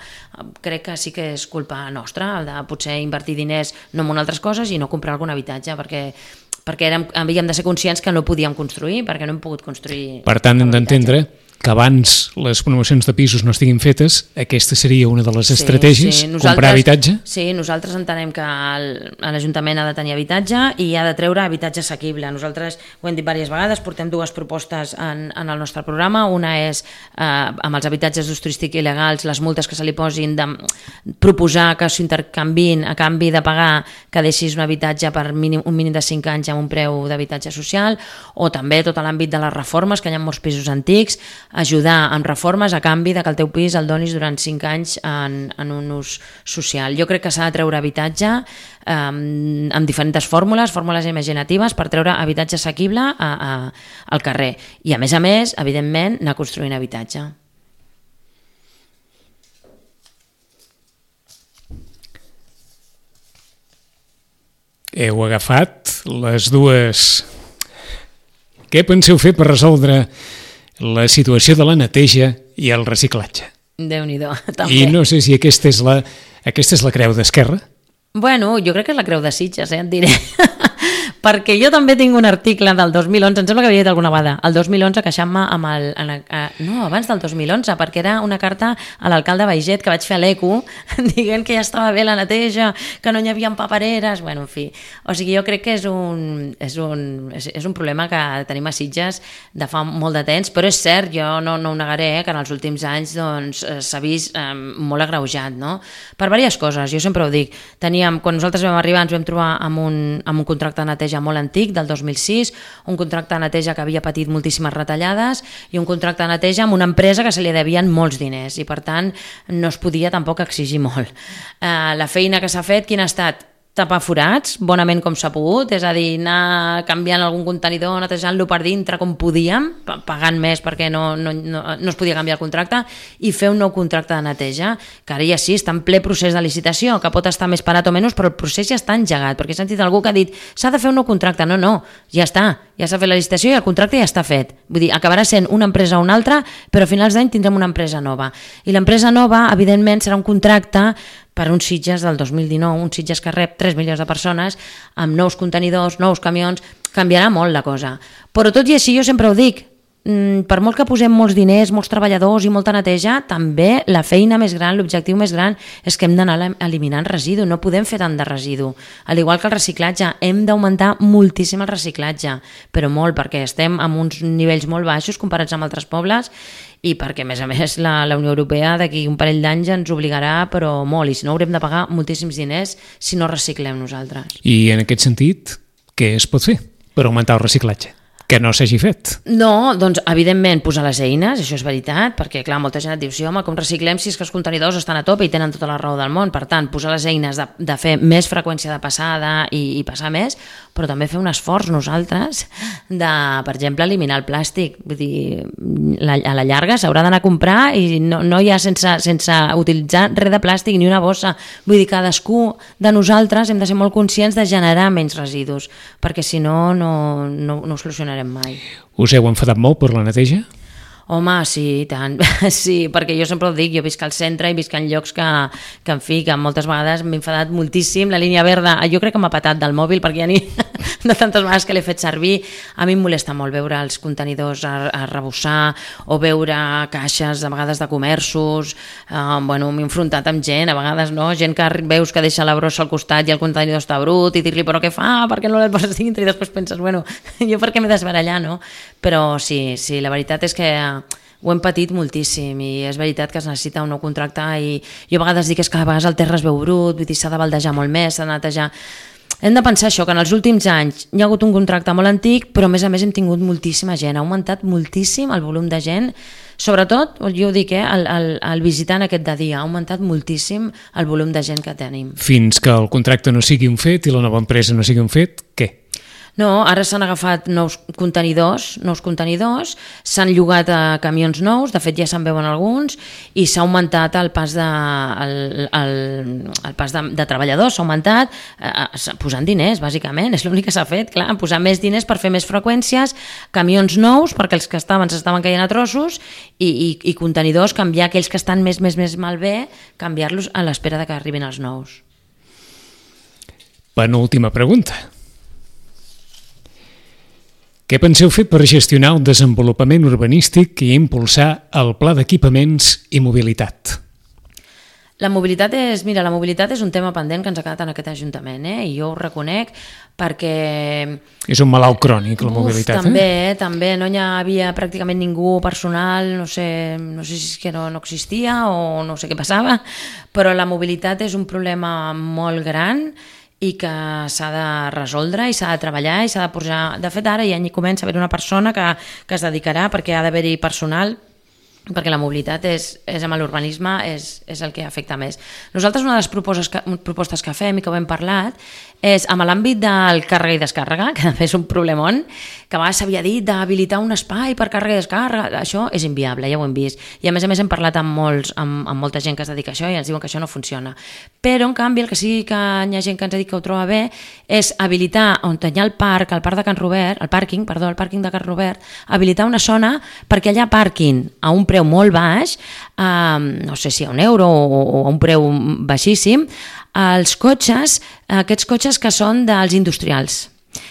crec que sí que és culpa nostra, de potser invertir diners no en altres coses i no comprar algun habitatge, perquè perquè érem, havíem de ser conscients que no podíem construir, perquè no hem pogut construir... Per tant, hem d'entendre que abans les promocions de pisos no estiguin fetes, aquesta seria una de les estratègies, sí, sí. Comprar habitatge? Sí, nosaltres entenem que l'Ajuntament ha de tenir habitatge i ha de treure habitatge assequible. Nosaltres ho hem dit diverses vegades, portem dues propostes en, en el nostre programa. Una és, eh, amb els habitatges d'ús turístic il·legals, les multes que se li posin, de proposar que s'intercanvin a canvi de pagar que deixis un habitatge per mínim, un mínim de cinc anys amb un preu d'habitatge social, o també tot l'àmbit de les reformes, que hi ha molts pisos antics, ajudar amb reformes a canvi de que el teu pis el donis durant cinc anys en, en un ús social. Jo crec que s'ha de treure habitatge eh, amb diferents fórmules, fórmules imaginatives per treure habitatge assequible a, a, al carrer. I a més a més, evidentment, anar construint habitatge. Heu agafat les dues... Què penseu fer per resoldre la situació de la neteja i el reciclatge? Déu-n'hi-do, també. I no sé si aquesta és la, aquesta és la creu d'Esquerra. Bueno, jo crec que és la creu de Sitges, eh, et diré. Perquè jo també tinc un article del dos mil onze, em sembla que havia dit alguna vegada, el dos mil onze queixant-me amb el... En el eh, no, abans del dos mil onze, perquè era una carta a l'alcalde Baiget que vaig fer a l'Eco, dient que ja estava bé la neteja, que no hi havia papereres, bueno, en fi. O sigui, jo crec que és un, és un, és, és un problema que tenim a Sitges de fa molt de temps, però és cert, jo no, no ho negaré, eh, que en els últims anys doncs, s'ha vist eh, molt agreujat, no? Per diverses coses, jo sempre ho dic. Teníem, quan nosaltres vam arribar ens vam trobar amb un, amb un contracte de neteja molt antic, del dos mil sis, un contracte de neteja que havia patit moltíssimes retallades i un contracte de neteja amb una empresa que se li devien molts diners i per tant no es podia tampoc exigir molt. Eh, la feina que s'ha fet, quina ha estat? Tapar forats, bonament com s'ha pogut, és a dir, anar canviant algun contenidor, netejant-lo per dintre com podíem, pagant més perquè no, no, no, no es podia canviar el contracte, i fer un nou contracte de neteja, que ara ja sí, està en ple procés de licitació, que pot estar més parat o menys, però el procés ja està engegat, perquè he sentit algú que ha dit s'ha de fer un nou contracte, no, no, ja està, ja s'ha fet la licitació i el contracte ja està fet, vull dir, acabarà sent una empresa o una altra, però a finals d'any tindrem una empresa nova, i l'empresa nova, evidentment, serà un contracte per un Sitges del dos mil dinou, un Sitges que rep tres milions de persones, amb nous contenidors, nous camions, canviarà molt la cosa. Però tot i així, jo sempre ho dic, per molt que posem molts diners, molts treballadors i molta neteja, també la feina més gran, l'objectiu més gran, és que hem d'anar eliminant residu, no podem fer tant de residu. Al igual que el reciclatge, hem d'augmentar moltíssim el reciclatge, però molt, perquè estem amb uns nivells molt baixos comparats amb altres pobles, i perquè, a més a més, la, la Unió Europea d'aquí un parell d'anys ens obligarà, però molt, i si no haurem de pagar moltíssims diners si no reciclem nosaltres. I en aquest sentit, què es pot fer per augmentar el reciclatge? Que no s'hagi fet. No, doncs evidentment posar les eines, això és veritat, perquè clar, molta gent et diu, sí home, com reciclem si és que els contenidors estan a tope i tenen tota la raó del món, per tant, posar les eines de, de fer més freqüència de passada i, i passar més, però també fer un esforç nosaltres de, per exemple, eliminar el plàstic, vull dir, la, a la llarga s'haurà d'anar a comprar i no, no hi ha sense, sense utilitzar res de plàstic ni una bossa, vull dir, cadascú de nosaltres hem de ser molt conscients de generar menys residus, perquè si no, no, no, no ho solucionarem mai. Us heu enfadat molt per la neteja? Home, sí, i tant. Sí, perquè jo sempre ho dic, jo visc al centre i visc en llocs que, que en fi, que moltes vegades m'he enfadat moltíssim. La línia verda, jo crec que m'ha patat del mòbil perquè ja ni de tantes vegades que l'he fet servir. A mi em molesta molt veure els contenidors a, a rebossar o veure caixes, de vegades de comerços. Uh, bueno, m'he enfrontat amb gent, a vegades no, gent que veus que deixa la brossa al costat i el contenidor està brut i dir-li però què fa, per què no l'et poses dintre? I després penses, bueno, jo per què m'he d'esbarallar, no? Però sí, sí, la veritat és que ho hem patit moltíssim i és veritat que es necessita un nou contracte i jo a vegades dic és que a vegades el terra es veu brut, vull dir, s'ha de baldejar molt més, s'ha de netejar. Hem de pensar això, que en els últims anys hi ha hagut un contracte molt antic, però a més a més hem tingut moltíssima gent, ha augmentat moltíssim el volum de gent, sobretot, jo ho dic, eh, el, el, el visitant aquest de dia, ha augmentat moltíssim el volum de gent que tenim. Fins que el contracte no sigui un fet i la nova empresa no sigui un fet, què? No, ara s'han agafat nous contenidors, nous contenidors, s'han llogat a camions nous, de fet ja se'n veuen alguns, i s'ha augmentat el pas de, el, el, el pas de, de treballadors, s'ha augmentat eh, posant diners, bàsicament, és l'únic que s'ha fet, clar, posar més diners per fer més freqüències, camions nous, perquè els que estaven s'estaven caient a trossos, i, i, i contenidors, canviar aquells que estan més, més, més malbé, canviar-los a l'espera de que arribin els nous. Penúltima pregunta. Què penseu fer per gestionar el desenvolupament urbanístic i impulsar el pla d'equipaments i mobilitat? La mobilitat és, mira, la mobilitat és un tema pendent que ens ha quedat en aquest Ajuntament, eh? I jo ho reconec perquè... És un malalt crònic, la Uf, mobilitat, també, eh? També, no hi havia pràcticament ningú personal, no sé, no sé si és que no, no existia o no sé què passava, però la mobilitat és un problema molt gran i que s'ha de resoldre i s'ha de treballar i s'ha de posar... De fet, ara ja hi comença a haver una persona que, que es dedicarà perquè ha d'haver-hi personal, perquè la mobilitat és, és amb l'urbanisme és, és el que afecta més. Nosaltres una de les propostes que, propostes que fem i que ho hem parlat és amb l'àmbit del càrrega i descàrrega, que és un problemon, que a vegades s'havia dit d'habilitar un espai per càrrega i descàrrega, això és inviable, ja ho hem vist. I a més a més hem parlat amb, molts, amb, amb molta gent que es dedica a això i ens diuen que això no funciona. Però en canvi el que sí que hi ha gent que ens ha dit que ho troba bé és habilitar on hi ha el parc, el parc de Can Robert, el pàrquing, perdó, el pàrquing de Can Robert, habilitar una zona perquè allà parquin a un preu molt baix, eh, no sé si a un euro o, o a un preu baixíssim, els cotxes, aquests cotxes que són dels industrials.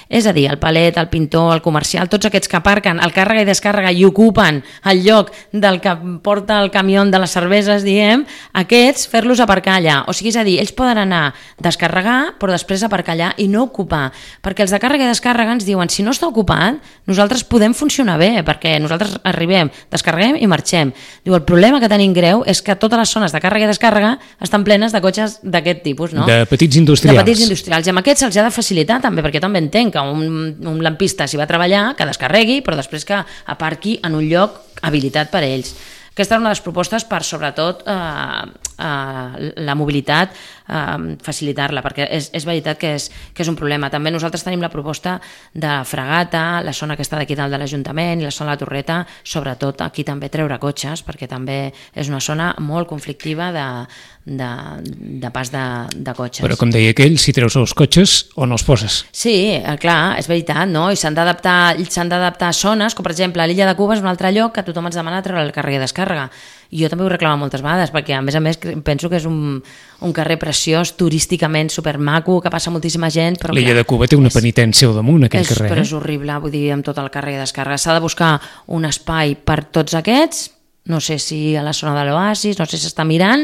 És a dir, el palet, el pintor, el comercial, tots aquests que aparquen el càrrega i descàrrega i ocupen el lloc del que porta el camió de les cerveses, diem, aquests fer-los aparcar allà. O sigui, és a dir, ells poden anar a descarregar, però després aparcar allà i no ocupar. Perquè els de càrrega i descàrrega ens diuen, si no està ocupat, nosaltres podem funcionar bé, perquè nosaltres arribem, descarreguem i marxem. Diu, el problema que tenim greu és que totes les zones de càrrega i descàrrega estan plenes de cotxes d'aquest tipus, no? De petits industrials. De petits industrials. I amb aquests se'ls ha de facilitar també, perquè també entenc que un, un lampista s'hi va a treballar, que descarregui, però després que aparqui en un lloc habilitat per a ells. Aquesta és una de les propostes per, sobretot, eh, eh, la mobilitat, eh, facilitar-la, perquè és, és veritat que és, que és un problema. També nosaltres tenim la proposta de Fragata, la zona que està d'aquí dalt de l'Ajuntament i la zona de la Torreta, sobretot aquí també treure cotxes, perquè també és una zona molt conflictiva de, de, de pas de, de cotxes. Però com deia aquell, si treus els cotxes, on els poses? Sí, clar, és veritat, no? I s'han d'adaptar s'han d'adaptar zones, com per exemple a l'illa de Cuba és un altre lloc que tothom ens demana treure el càrrega i descàrrega. I jo també ho reclamo moltes vegades, perquè a més a més penso que és un, un carrer preciós, turísticament supermaco, que passa moltíssima gent. L'illa de Cuba té una penitència al damunt, aquell és, carrer. Però és horrible, vull dir, amb tot el càrrega i descàrrega. S'ha de buscar un espai per tots aquests, no sé si a la zona de l'Oasis, no sé si s'està mirant,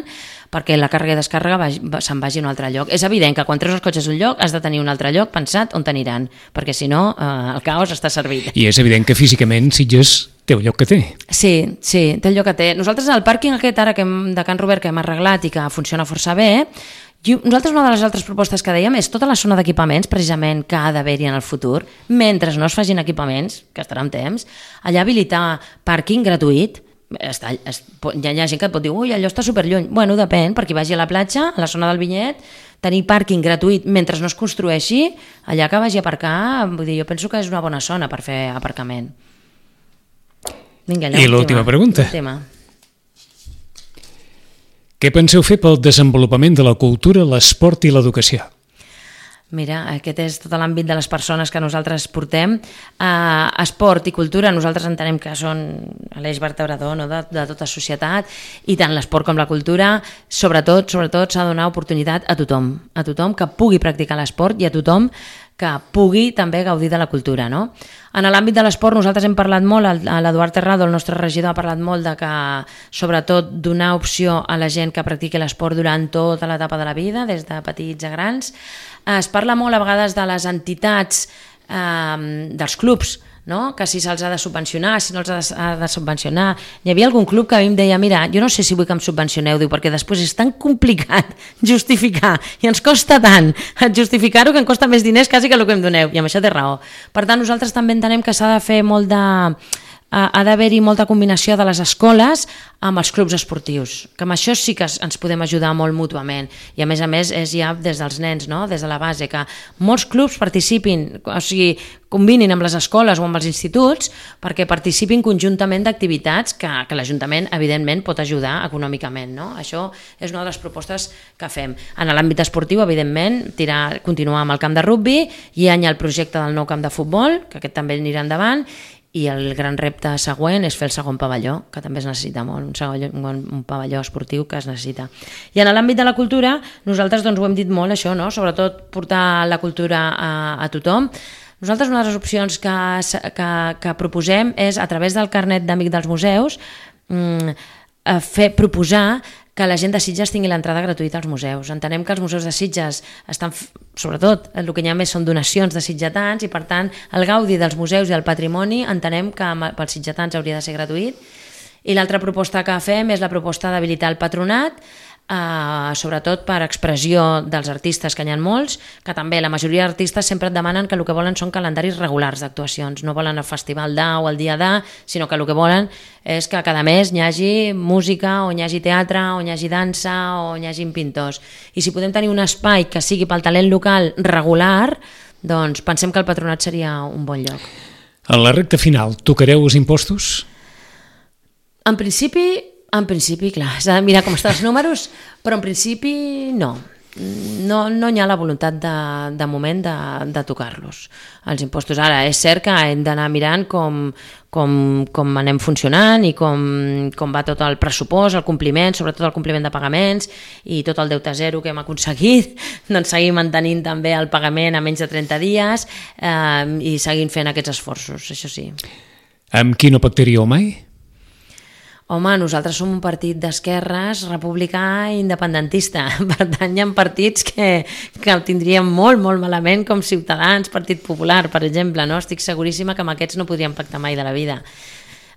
perquè la càrrega i descàrrega va, va, se'n vagi a un altre lloc. És evident que quan treus els cotxes d'un lloc has de tenir un altre lloc pensat on t'aniran, perquè si no eh, el caos està servit. I és evident que físicament Sitges té el lloc que té. Sí, sí, té el lloc que té. Nosaltres al pàrquing aquest ara que hem, de Can Robert que hem arreglat i que funciona força bé, i nosaltres una de les altres propostes que dèiem és tota la zona d'equipaments, precisament, que ha d'haver-hi en el futur, mentre no es facin equipaments, que estarà en temps, allà habilitar pàrquing gratuït. Està, es, hi ha gent que et pot dir, ui, allò està superlluny. Bueno, depèn, perquè vagi a la platja, a la zona del Vinyet, tenir pàrquing gratuït mentre no es construeixi, allà que vagi a aparcar, vull dir, jo penso que és una bona zona per fer aparcament. Vinga, allà, I l'última pregunta. Tema. Què penseu fer pel desenvolupament de la cultura, l'esport i l'educació? Mira, aquest és tot l'àmbit de les persones que nosaltres portem. Uh, esport i cultura, nosaltres entenem que són l'eix vertebrador, no?, de, de tota societat, i tant l'esport com la cultura, sobretot sobretot s'ha de donar oportunitat a tothom, a tothom que pugui practicar l'esport i a tothom que pugui també gaudir de la cultura, no? En l'àmbit de l'esport nosaltres hem parlat molt, l'Eduard Terrado, el nostre regidor, ha parlat molt de que, sobretot, donar opció a la gent que practiqui l'esport durant tota l'etapa de la vida, des de petits a grans. Es parla molt a vegades de les entitats, eh, dels clubs, no?, que si se'ls ha de subvencionar, si no els ha de, ha de subvencionar. Hi havia algun club que a mi em deia, mira, jo no sé si vull que em subvencioneu, diu, perquè després és tan complicat justificar, i ens costa tant justificar-ho que em costa més diners quasi que el que em doneu, i amb això té raó. Per tant, nosaltres també entenem que s'ha de fer molt de... ha d'haver-hi molta combinació de les escoles amb els clubs esportius, que amb això sí que ens podem ajudar molt mútuament, i a més a més és ja des dels nens, no?, des de la base, que molts clubs participin, o sigui, combinin amb les escoles o amb els instituts perquè participin conjuntament d'activitats que, que l'Ajuntament evidentment pot ajudar econòmicament, no? Això és una de les propostes que fem. En l'àmbit esportiu, evidentment, tirar, continuar amb el camp de rugbi, i hi ha el projecte del nou camp de futbol, que aquest també anirà endavant, i el gran repte següent és fer el segon pavelló, que també es necessita molt, un, segon, un, un pavelló esportiu que es necessita. I en l'àmbit de la cultura, nosaltres doncs, ho hem dit molt, això, no?, sobretot portar la cultura a, a tothom. Nosaltres una de les opcions que, que, que proposem és, a través del carnet d'amic dels museus, fer, proposar que la gent de Sitges tingui l'entrada gratuïta als museus. Entenem que els museus de Sitges estan, sobretot, el que hi ha més són donacions de sitgetans, i per tant el gaudi dels museus i el patrimoni entenem que pels sitgetans hauria de ser gratuït. I l'altra proposta que fem és la proposta d'habilitar el patronat, Uh, sobretot per expressió dels artistes, que n'hi ha molts, que també la majoria d'artistes sempre et demanen que el que volen són calendaris regulars d'actuacions, no volen el festival d'A o el dia d'A, sinó que el que volen és que cada mes hi hagi música, o hi hagi teatre, o hi hagi dansa, o hi hagi pintors. I si podem tenir un espai que sigui pel talent local regular, doncs pensem que el patronat seria un bon lloc. En la recta final, tocareu els impostos? En principi... En principi, clar, s'ha de mirar com estan els números, però en principi no. No, no hi ha la voluntat de, de moment de, de tocar-los, els impostos. Ara, és cert que hem d'anar mirant com, com, com anem funcionant i com, com va tot el pressupost, el compliment, sobretot el compliment de pagaments i tot el deute zero que hem aconseguit, doncs seguir mantenint també el pagament a menys de trenta dies eh, i seguint fent aquests esforços, això sí. Amb qui no pactaríeu mai? Home, nosaltres som un partit d'esquerres, republicà i independentista. Per tant, hi ha partits que, que ho tindríem molt, molt malament, com Ciutadans, Partit Popular, per exemple. No? Estic seguríssima que amb aquests no podríem pactar mai de la vida.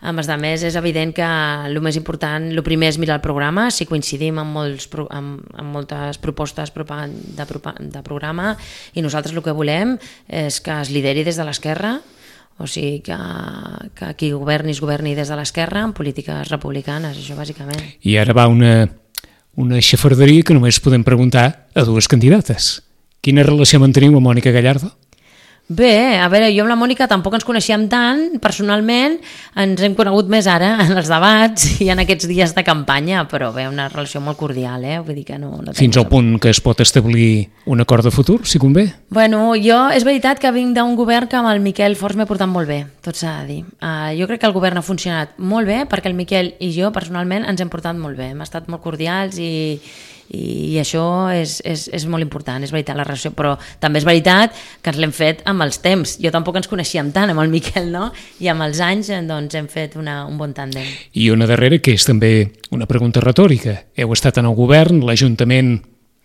A més a més, és evident que el més important, el primer és mirar el programa, si coincidim amb, molts, amb, amb moltes propostes de, de programa, i nosaltres el que volem és que es lideri des de l'esquerra, o sigui que, que qui governi es governi des de l'esquerra en polítiques republicanes, això bàsicament. I ara va una, una xafarderia que només podem preguntar a dues candidates. Quina relació manteniu amb Mònica Gallardo? Bé, a veure, jo amb la Mònica tampoc ens coneixíem tant, personalment, ens hem conegut més ara en els debats i en aquests dies de campanya, però bé, una relació molt cordial, eh? Vull dir que no... no Fins al punt que es pot establir un acord de futur, si convé? Bueno, jo, és veritat que vinc d'un govern que amb el Miquel Forns m'he portat molt bé, tot s'ha de dir. Uh, jo crec que el govern ha funcionat molt bé perquè el Miquel i jo, personalment, ens hem portat molt bé, hem estat molt cordials i... i això és, és, és molt important, és veritat la relació, però també és veritat que ens l'hem fet amb els temps, jo tampoc ens coneixíem tant amb el Miquel, no? I amb els anys doncs, hem fet una, un bon tàndem. I una darrera que és també una pregunta retòrica, heu estat en el govern, l'Ajuntament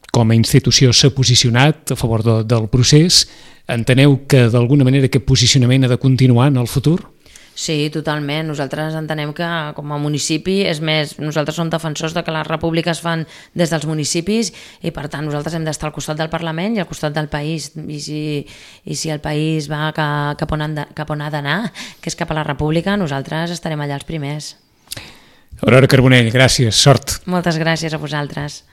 com a institució s'ha posicionat a favor de, del procés, enteneu que d'alguna manera aquest posicionament ha de continuar en el futur? Sí, totalment. Nosaltres entenem que com a municipi, és més, nosaltres som defensors de que les repúbliques fan des dels municipis i per tant nosaltres hem d'estar al costat del Parlament i al costat del país. I si, i si el país va cap on, de, cap on ha d'anar, que és cap a la república, nosaltres estarem allà els primers. Aurora Carbonell, gràcies, sort. Moltes gràcies a vosaltres.